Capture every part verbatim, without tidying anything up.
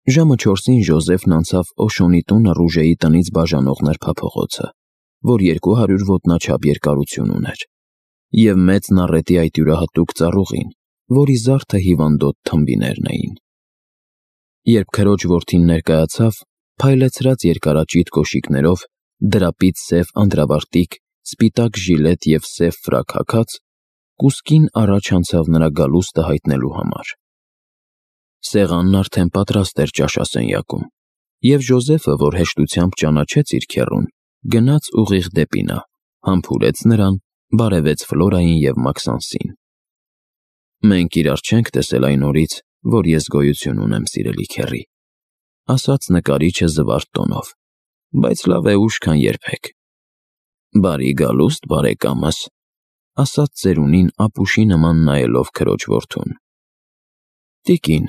Ժամը չորսին Ժոզեֆն անցավ Օշոնի տունը Ռուժեի տնից բաժանող նրբափողոցը, որ երկու հարյուր ոտնաչափ երկարություն ուներ, և մեծ նառետի այդ յուրահատուկ ծառուղին, որի զարդը հիվանդոտ թմբիներն էին։ Երբ քրոջ որդին ներկայացավ, փայլեցրած երկարաճիտ կոշիկներով, դրապից սև անդրավարտիք, սպիտակ ժիլետ և սև ֆրակ հագած, կուսկին առաջ անցավ նրա գալուստը հայտնելու համար։ Սեղանն արդեն պատրաստ էր ճաշասենյակում, և Ժոզեֆը, որ հեշտությամբ ճանաչեց իր քեռուն, գնաց ուղիղ դեպի նա, համբուրեց նրան, բարևեց Ֆլորային և Մաքսանսին։ «Մենք իրար չենք տեսել այն օրից, որ ես գոյություն ունեմ, սիրելի քեռի», ասաց նկարիչը զվարթ տոնով, «բայց լավ է ուշ, քան երբեք»։ «Բարի գալուստ, բարեկամս», ասաց ծերունին ապուշի նման նայելով քրոջ որդուն։ «Տիկին»,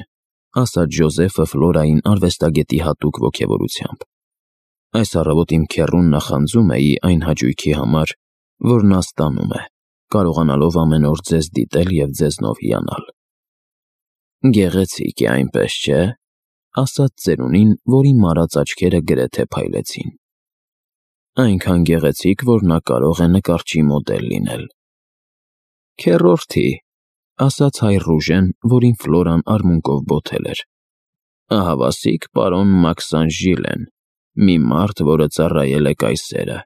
ասաց Ժոզեֆը Ֆլորային արվեստագետի հատուկ ոգևորությամբ, «այս առավոտ իմ քեռուն նախանձում էի այն հաճույքի համար, որ նա ստանում է, կարողանալով ամեն օր ձեզ դիտել և ձեզնով հիանալ»։ «Գեղեցիկ է, այնպես չէ՞, ասաց ծերունին, որի մարած աչքերը գրեթե փայլեցին։ «Այնքան գեղեցիկ, որ նա կարող է նկարչի մոդել լինել»։ «Քեռորդի», ասաց հայր Ռուժեն, որին Ֆլորան արմունկով բոթել էր, «ահավասիկ պարոն Մաքսանս Ժիլեն, մի մարդ, որը ծառայել է կայսերը,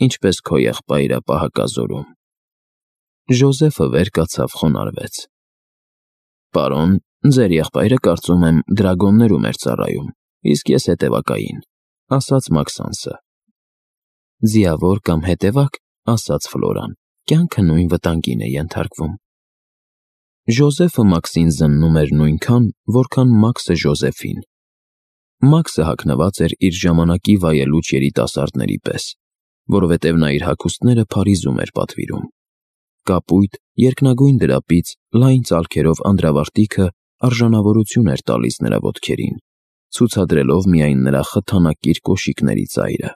ինչպես քո եղբայրը պահակազորում»։ Ժոզեֆը վեր կացավ, խոնարհվեց։ «Պարոն, ձեր եղբայրը, կարծում եմ, դրագոններում էր ծառայում, իսկ ես հետևակային», ասաց Մաքսանսը։ «Ձիավոր կամ հետևակ», ասաց Ֆլորան, «կյանքը նույն վտանգին է ենթարկվում»։ Ժոզեֆը Մաքսին զննում էր նույնքան, որքան Մաքսը Ժոզեֆին։ Մաքսը հագնված էր իր ժամանակի վայելուչ երիտասարդների պես, որովհետև նա իր հագուստները Փարիզում էր պատվիրում։ Կապույտ, երկնագույն դրապից լայն ծալքերով անդրավարտիքը արժանավորություն էր տալիս նրա ոտքերին, ցուցադրելով միայն նրա խթանակիր կոշիկների ծայրը։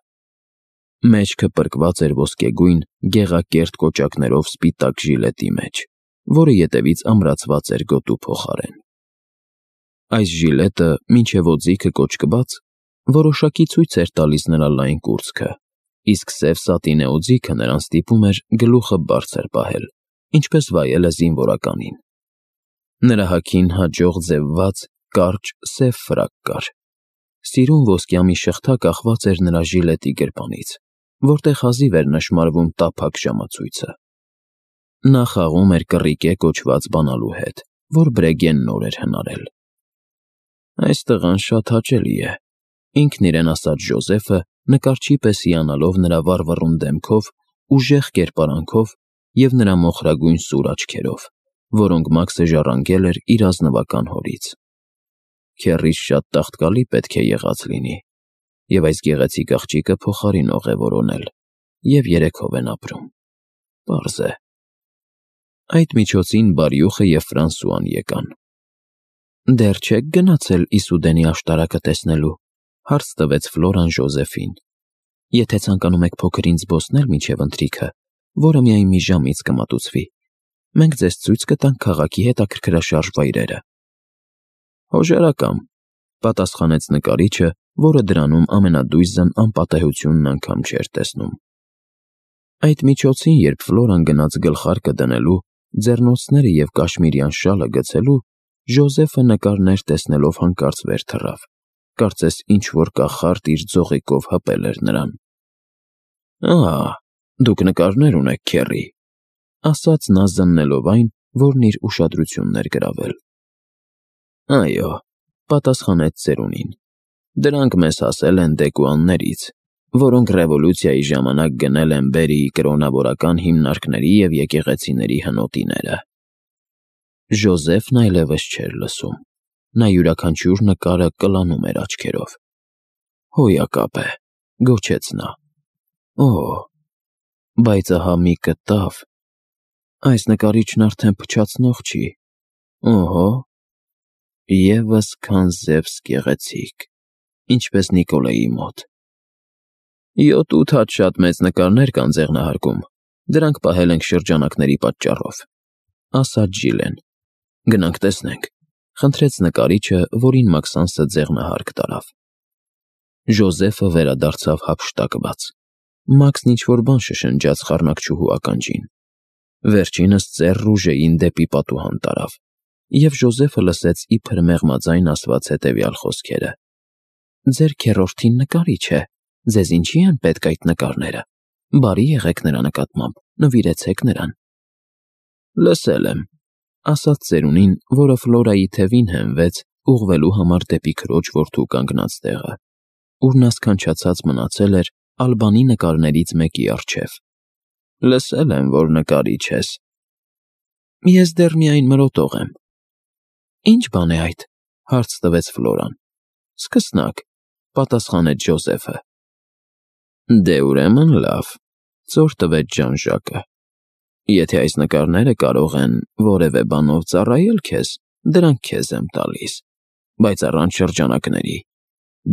Մեջքը պրկված էր ոսկեգույն, գեղակերտ կոճակներով սպիտակ ժիլետի մեջ, որը ետևից ամրացված էր գոտու փոխարեն։ Այս ժիլետը, մինչև օձիքը կոճկված, որոշակի ցույց էր տալիս նրա լայն կուրծքը, իսկ սև սատինե օձիքը նրան ստիպում էր գլուխը բարձր պահել, ինչպես վայելը զինվորականին։ Նրա հագին հաջող ձևված, կարճ, սև ֆրակ կար։ Սիրուն ոսկյա մի շղթա կախված էր նրա ժիլետի գրպանից, որտեղ հազիվ էր նշմարվում տափակ ժամացույցը։ Նա խաղում էր կռիկե կոչված բանալու հետ, որ Բրեգեն նոր էր հնարել։ «Այս տղան շատ հաճելի է», ինքն իրեն ասաց Ժոզեֆը, նկարչի պես հիանալով նրա վառվռուն դեմքով, ուժեղ կերպարանքով և նրա մոխրագույն սուր աչքերով, որոնք Մաքսը ժառանգել էր իր ազնվական հորից։ «Քեռիս շատ տաղտկալի պետք է եղած լինի, և այս գեղեցիկ աղջիկը փոխարինող է որոնել, և երեքով են ապրում։ Պարզ է»։ Այդ միջոցին Բարյուխը և Ֆրանսուան եկան։ «Դեռ չե՞ք գնացել Իսուդենի աշտարակը տեսնելու», հարց տվեց Ֆլորան Ժոզեֆին։ «Եթե ցանկանում եք փոքր ինձ զբոսնել մինչև ընթրիքը, որը միայն մի ժամից կմատուցվի, մենք ձեզ ցույց կտանք քաղաքի հետաքրքրաշարժ վայրերը»։ «Հոժարակամ», պատասխանեց նկարիչը, որը դրանում ամենադույզն անպատեհությունն անգամ չէր տեսնում։ Այդ միջոցին, երբ Ֆլորան գնաց գլխարկը դնելու, ձեռնոցները և կաշմիրյան շալը գցելու, Ժոզեֆը նկարներ տեսնելով հանկարծ վեր թռավ, կարծես ինչ-որ կախարդ իր ձողիկով հպել էր նրան։ «Ահա, դուք նկարներ ունեք, քեռի», ասաց նա զննելով այն, որն իր ուշադրությունն էր գրավել։ «Այո», պատասխանեց ծերունին, «դրանք մեզ հասել են Դեկուաններից, որոնք ռևոլյուցիայի ժամանակ գնել են Բերիի կրոնավորական հիմնարկների և եկեղեցիների հնոտիները»։ Ժոզեֆն այլևս չէր լսում։ Նա յուրաքանչյուր նկարը կլանում էր աչքերով։ «Հոյակապ է», գոչեց նա։ «Օ՜, բայց ահա մի կտավ։ Այս նկարիչն արդեն փչացնող չի։ Օհո, ևս Քանզևս գեղեցիկ, ինչպես Նիկոլեի մոտ։ Յոթ-ութ հատ շատ մեծ նկարներ կան ձեղնահարկում, դրանք պահել ենք շրջանակների պատճառով», ասաց Ժիլեն։ «Գնանք տեսնենք, խնդրեց նկարիչը, որին Մաքսանսը ձեղնահարկ տարավ։ Ժոզեֆը վերադարձավ հափշտակված։ Մաքսն ինչ-որ բան շշնջաց խառնակչուհու ականջին։ Վերջինս ծեր Ռուժեին դեպի պատուհան տարավ, և Ժոզեֆը լսեց իբր մեղմաձայն ասված հետևյալ խոսքերը. «Ձեր քեռորդին նկարիչ է, ձեզ ինչի են պետք այդ նկարները, բարի եղեք նրա նկատմամբ, նվիրեցեք նրան»։ «Լսել եմ», ասաց ծերունին, որը Ֆլորայի թևին հենվեց, ուղղվելու համար դեպի քրոջ որդու կանգնած տեղը, ուր նա սքանչացած մնացել էր Ալբանի նկարներից մեկի առջև։ «Լսել եմ, որ նկարիչ ես»։ «Ես դեռ միայն մրոտող եմ»։ «Ինչ բան է այդ»։ հարց տվեց Ֆլորան։ «Սկսնակ», պատասխանեց Ժոզեֆը։ «Դե ուրեմն լավ», ծոր տվեց Ժան-Ժակը։ «Եթե այս նկարները կարող են որևէ բանով ծառայել քեզ, դրանք քեզ եմ տալիս, բայց առանց շրջանակների։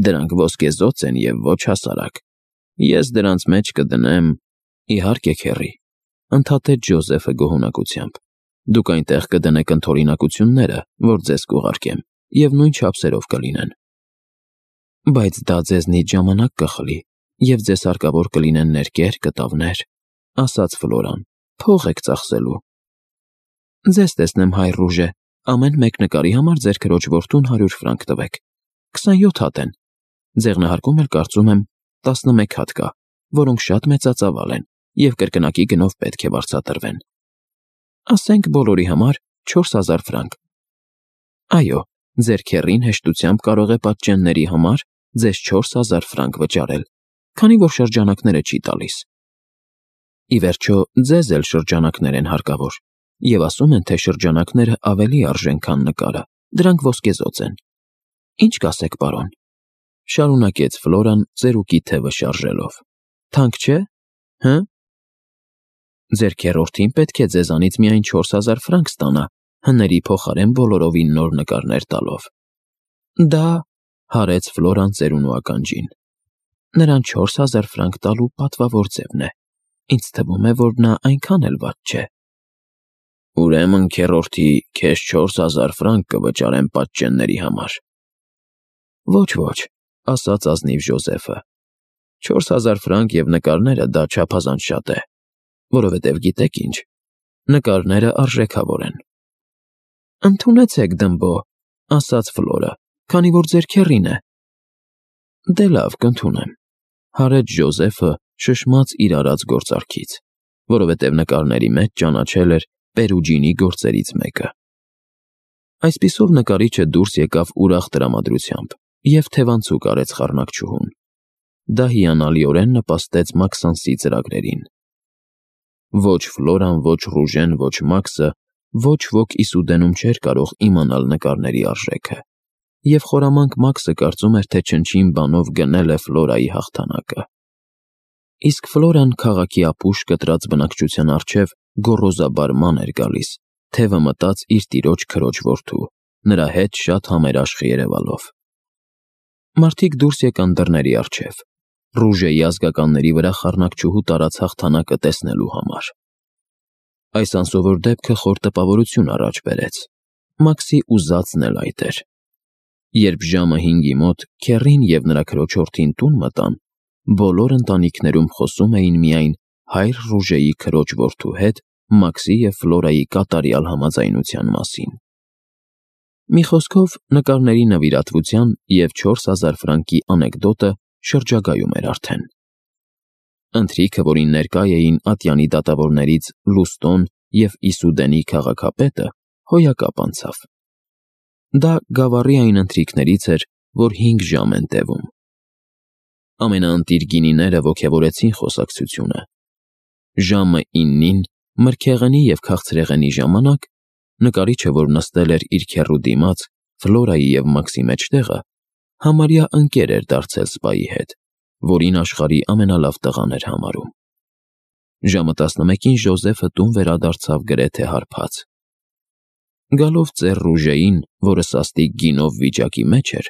Դրանք ոսկեզօծ են և ոչ հասարակ։ Ես դրանց մեջ կդնեմ… Իհարկե, քեռի, ընդհատեց Ժոզեֆը գոհունակությամբ։ Դուք այնտեղ կդնեք ընդօրինակությունները, որ ձեզ կուղարկեմ, և նույն չափսերով կլինեն։ Բայց դա ձեզնից ժամանակ կխլի, և ձեզ հարկավոր կլինեն ներկեր, կտավներ, ասաց Ֆլորան, փող եք ծախսելու։ Ձեզ տեսնեմ, հայր Ռուժե, ամեն մեկ նկարի համար ձեր քրոջ որդուն հարյուր ֆրանկ տվեք։ քսանյոթ հատ են։ Ձեղնահարկում էլ կարծում եմ տասնմեկ հատ կա, որոնք շատ մեծածավալ են և կրկնակի գնով պետք է վարձատրվեն։ Ասենք բոլորի համար չորս հազար ֆրանկ։ Այո, ձեր քեռին հեշտությամբ կարող է պատճենների համար ձեզ չորս հազար ֆրանկ վճարել, քանի որ շրջանակները չի տալիս։ Ի վերջո, ձեզ էլ շրջանակներ են հարկավոր, և ասում են, թե շրջանակները ավելի արժեն, քան նկարը, դրանք ոսկեզօծ են։ Ինչ կասեք, պարոն, շարունակեց Ֆլորան ծերուկի թևը շարժելով։ Թանկ չէ՞, հը։ Ձեր քեռորդին պետք է ձեզանից միայն չորս հազար ֆրանկ ստանա, հների փոխարեն բոլորովին նոր նկարներ տալով։ Դա… հարեց Ֆլորան ծերունու ականջին։ Նրան չորս հազար ֆրանկ տալու պատվավոր ձևն է։ Ինձ թվում է, որ նա այնքան էլ վատ չէ։ Ուրեմն, քեռորդի, քեզ չորս հազար ֆրանկ կվճարեմ պատճենների համար։ Ոչ, ոչ, ասաց ազնիվ Ժոզեֆը։ Չորս հազար ֆրանկ և նկարները դա չափազանց շատ է, որովհետև գիտեք ինչ, նկարները արժեքավոր են։ Ընդունեցեք, դմբո, ասաց Ֆլորը, քանի որ ձեր քեռին է։ Դե լավ, կընդունեմ, հարեց Ժոզեֆը, շշմած իր արած գործարքից, որովհետև նկարների մեջ ճանաչել էր Պերուջինի գործերից մեկը։ Այսպիսով նկարիչը դուրս եկավ ուրախ տրամադրությամբ և թևանցուկ արեց խառնակչուհուն։ Դա հիանալիորեն նպաստեց Մաքսանսի ծրագրերին։ Ոչ Ֆլորան, ոչ Ռուժեն, ոչ Մաքսը, ոչ ոք Իսուդենում չէր կարող իմանալ նկարների արժեքը, և խորամանկ Մաքսը կարծում էր, թե չնչին բանով գնել է Ֆլորայի հաղթանակը։ Իսկ Ֆլորան քաղաքի ապուշ կտրած բնակչության առջև գոռոզաբար ման էր գալիս, թևը մտած իր տիրոջ քրոջ որդու, նրա հետ շատ համերաշխ երևալով։ Մարդիկ դուրս եկան դռների առջև, Ռուժեի ազգականների վրա խառնակչուհու տարած հաղթանակը տեսնելու համար։ Այս անսովոր դեպքը խոր տպավորություն առաջ բերեց։ Մաքսի ուզածն էլ այդ էր։ Երբ ժամը հինգի մոտ քեռին և նրա քրոջորդին տուն մտան, բոլոր ընտանիքներում խոսում էին միայն հայր Ռուժեի քրոջ որդու հետ Մաքսի և Ֆլորայի կատարյալ համաձայնության մասին։ Մի խոսքով, նկարների նվիրատվության և չորս հազար ֆրանկի անեկդոտը շրջագայում էր արդեն։ Ընթրիքը, որին ներկա էին ատյանի դատավորներից Լուստոն և Իսուդենի քաղաքապետը, հոյակապ անցավ։ Դա գավառի այն ընթրիքներից էր, որ հինգ ժամ են տևում։ Ամենաընտիր գինիները ոգևորեցին խոսակցությունը։ Ժամը իննին, մրգեղենի և քաղցրեղենի ժամանակ, նկարիչը, որ նստել էր իր քեռու դիմաց, Ֆլորայի և Մաքսի մեջտեղը, համարյա ընկեր էր դարձել սպայի հետ, որին աշխարհի ամենալավ տղան էր համարում։ Ժամը տասնմեկին Ժոզեֆը տուն վերադարձավ գրեթե հարբած։ Գալով ծեր Ռուժեին, որը սաստիկ գինով վիճակի մեջ էր,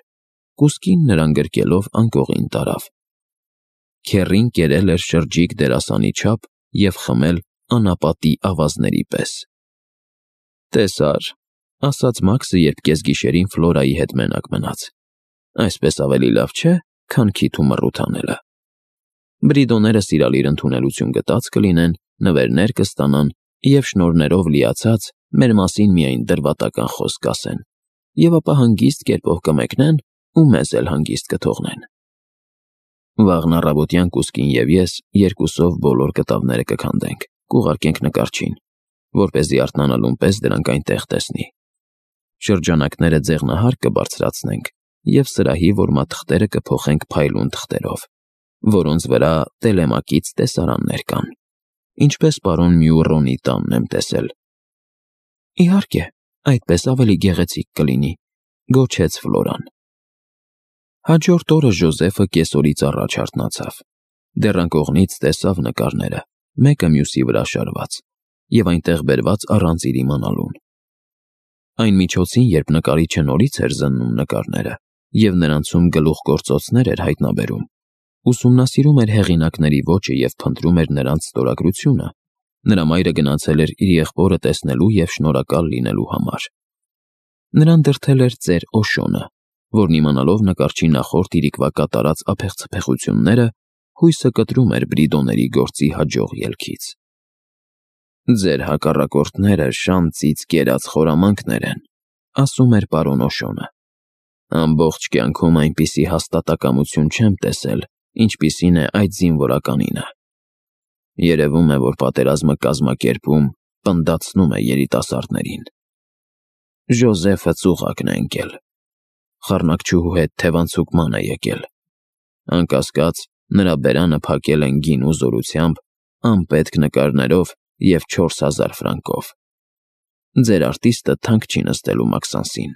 կուսկին նրան գրկելով անկողին տարավ։ Քեռին կերել էր շրջիկ դերասանի չափ և խմել անապատի ավազների պես։ Տեսա՞ր, ասաց Մաքսը, երբ կեսգիշերին Ֆլորայի հետ մենակ մնաց։ Այսպես ավելի լավ չէ, քան քիթ ու մռութ անելը։ Բրիդոները սիրալիր ընդունելություն գտած կլինեն, նվերներ կստանան և շնորհներով լիացած մեր մասին միայն դրվատական խոսք կասեն, և ապա հանգիստ կերպով կմեկնեն ու մեզ էլ հանգիստ կթողնեն։ Վաղն առավոտյան Կուսկին և ես երկուսով բոլոր կտավները կքանդենք, կուղարկենք նկարչին, որպեսզի արթնանալուն պես դրանք այնտեղ տեսնի։ Շրջանակները ձեղնահար կբարձրացնենք և սրահի որմաթղթերը կփոխենք փայլուն թղթերով, որոնց վրա Տելեմակից տեսարաններ կան, ինչպես պարոն Մյուռոնի տանն եմ տեսել։ Իհարկե, այդպես ավելի գեղեցիկ կլինի, գոչեց Ֆլորան։ Հաջորդ օրը Ժոզեֆը կեսօրից առաջ արթնացավ, դեռ անկողնից տեսավ նկարները, մեկը մյուսի վրա շարված, և այնտեղ բերված առանց իր իմանալուն։ Այն միջոցին, երբ նկարիչը նորից էր զննում նկարները և նրանցում գլուխգործոցներ էր հայտնաբերում, ուսումնասիրում էր հեղինակների ոճը և փնտրում էր նրանց ստորագրությունը, նրա մայրը գնացել էր իր եղբորը տեսնելու և շնորհակալ լինելու համար։ Նրան դրդել էր ծեր Օշոնը, որն իմանալով նկարչի նախորդ իրիկվա կատարած ափեղցփեղությունները, հույսը կտրում էր Բրիդոների գործի հաջող ելքից։ Ձեր հակառակորդները շան ծից կերած խորամանկներ են, ասում էր պարոն Օշոնը։ Ամբողջ կյանքում այնպիսի հաստատակամություն չեմ տեսել, ինչպիսին է այդ զինվորականինը։ Երևում է, որ պատերազմը կազմակերպում, պնդացնում է երիտասարդներին։ Ժոզեֆը ծուղակն է ընկել, խառնակչուհու հետ թևանցուկման է եկել։ Անկասկած, նրա բերանը փակել են գին ու զորությամբ, անպետք նկարներով և չորս հազար ֆրանկով։ Ձեր արտիստը թանկ չի նստելու Մաքսանսին։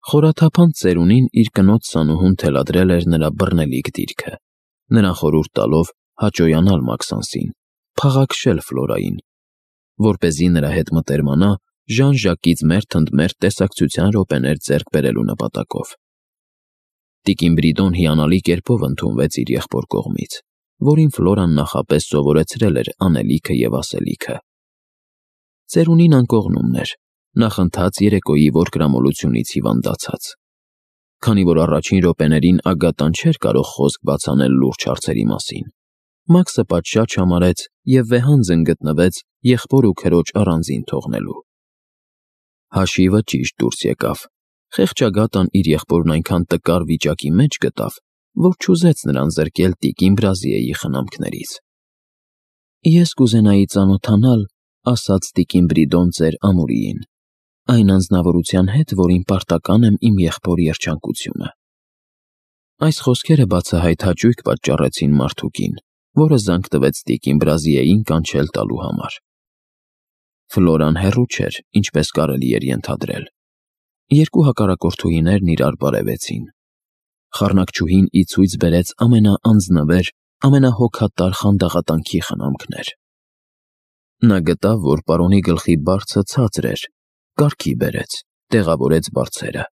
Խորաթափանց ծերունին իր կնոջ սանուհուն թելադրել էր նրա բռնելիք դիրքը, նրան խորհուրդ տալով հաճոյանալ Մաքսանսին, փաղաքշել Ֆլորային, որպեսզի նրա հետ մտերմանա Ժան-Ժակից մերթ ընդ մերթ տեսակցության րոպեներ ձեռք բերելու նպատակով։ Տիկին Բրիդոն հիանալի կերպով ընդունվեց իր եղբոր կողմից, որին Ֆլորան նախապես սովորեցրել էր անելիքը և ասելիքը։ Ծերունին անկողնումն էր, նախընթաց երեկոյի որկրամոլությունից հիվանդացած։ Քանի որ առաջին րոպեներին Ագատան չէր կարող խոսք բաց անել լուրջ հարցերի մասին, Մաքսը պատշաճ համարեց և վեհանձն գտնվեց եղբոր ու քրոջ առանձին թողնելու։ Հաշիվը ճիշտ դուրս եկավ։ Խեղճ Ագատան իր եղբորն այնքան տկար վիճակի մեջ գտավ, որ չուզեց նրան զրկել տիկին Բրազիեի խնամքներից։ Ես կուզենայի ծանոթանալ, ասաց տիկին Բրիդոն ծեր Ամուրիին, այն անձնավորության հետ, որին պարտական եմ իմ եղբոր երջանկությունը։ Այս խոսքերը բացահայտ հաճույք պատճառեցին մարդուկին, որը զանգ տվեց տիկին Բրազիեին կանչել տալու համար։ Ֆլորան հեռու չէր, ինչպես կարելի էր ենթադրել։ Երկու հակառակորդուհիներն իրար բարևեցին։ Խառնակչուհին ի ցույց բերեց ամենաանձնվեր, ամենահոգատար խանդաղատանքի խնամքներ։ Նա գտավ, որ պարոնի գլխի բարձը ցածր էր, կարգի բերեց, տեղավորեց բարձերը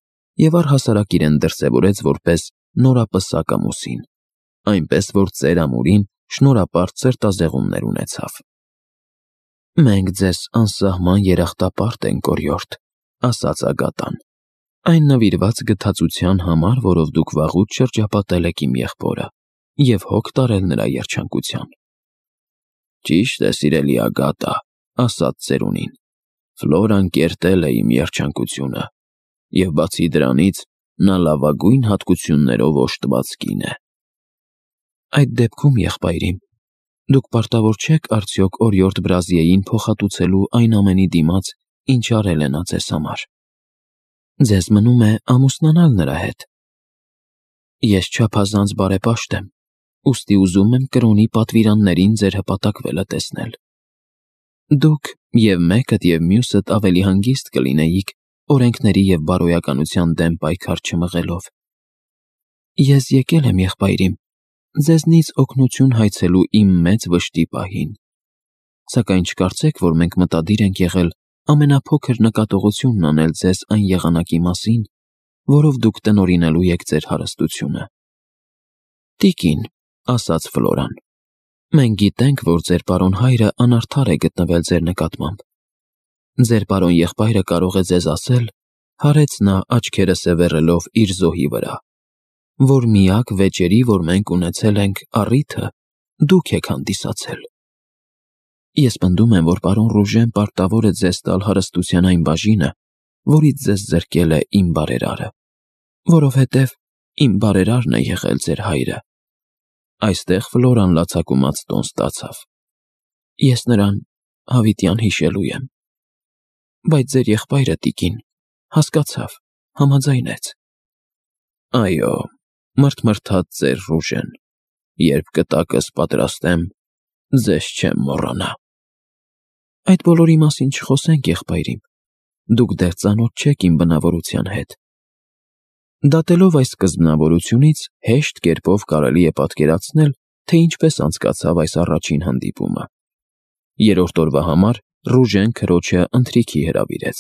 և առհասարակ իրեն դրսևորեց որպես նորապսակ ամուսին, այնպես որ ծեր Ամուրին շնորհապար ցրտազեղումներ ունեցավ։ Մենք ձեզ անսահման երախտապարտ ենք, օրիորդ, ասաց Ագատան, այն նվիրված գթածության համար, որով դուք վաղուց շրջապատել եք իմ եղբորը և հոգ տարել նրա երջանկության։ Ճիշտ է, սիրելի Ագատա, ասաց ծերունին, Ֆլորան կերտել է իմ երջանկությունը, և բացի դրանից նա լավագույն հատկություններով օժտված կին է։ Այդ դեպքում, եղբայրիմ, դուք պարտավոր չեք արդյոք օրիորդ Բրազիեին փոխհատուցելու այն ամենի դիմաց, ինչ արել է նա ձեզ համար։ Ձեզ մնում է ամուսնանալ նրա հետ։ Ես չափազանց բարեպաշտ եմ, ուստի ուզում եմ կրոնի պատվիրաններին ձեր հպատակվելը տեսնել։ Դուք և մեկդ և մյուսդ ավելի հանգիստ կլինեիք օրենքների և բարոյականության դեմ պայքար չմղելով։ Ես եկել եմ, եղբայրիմ, ձեզնից օգնություն հայցելու իմ մեծ վշտի պահին, սակայն չկարծեք, որ մենք մտադիր ենք եղել ամենափոքր նկատողությունն անել ձեզ այն եղանակի մասին, որով դուք տնօրինելու եք ձեր հարստությունը։ Տիկին, ասաց Ֆլորան, մենք գիտենք, որ ձեր պարոն հայրը անարդար է գտնվել ձեր նկատմամբ։ Ձեր պարոն եղբայրը կարող է ձեզ ասել, հարեց նա աչքերը սևեռելով իր զոհի վրա, որ միակ վեճերի, որ մենք ունեցել ենք առիթը, դուք եք հանդիսացել։ Ես պնդում եմ, որ պարոն Ռուժեն պարտավոր է ձեզ տալ հարստության այն բաժինը, որից ձեզ զրկել է իմ բարերարը, որովհետև իմ բարերարն է եղել ձեր հայրը։ Այստեղ Ֆլորան լացակումած տոն ստացավ։ Ես նրան հավիտյան հիշելու եմ։ Բայց ձեր եղբայրը, տիկին, հասկացավ, համաձայնեց։ Այո, մրթմրթաց ծեր Ռուժեն, երբ կտակս պատրաստեմ, ձեզ չեմ մոռանա։ Այդ բոլորի մասին չխոսենք, եղբայր իմ, դուք դեռ ծանոթ չեք իմ բնավորության հետ։ Դատելով այս սկզբնավորությունից, հեշտ կերպով կարելի է պատկերացնել, թե ինչպես անցկացավ այս առաջին հանդիպումը։ Երրորդ օրվա համար Ռուժեն քրոջը ընթրիքի հրավիրեց։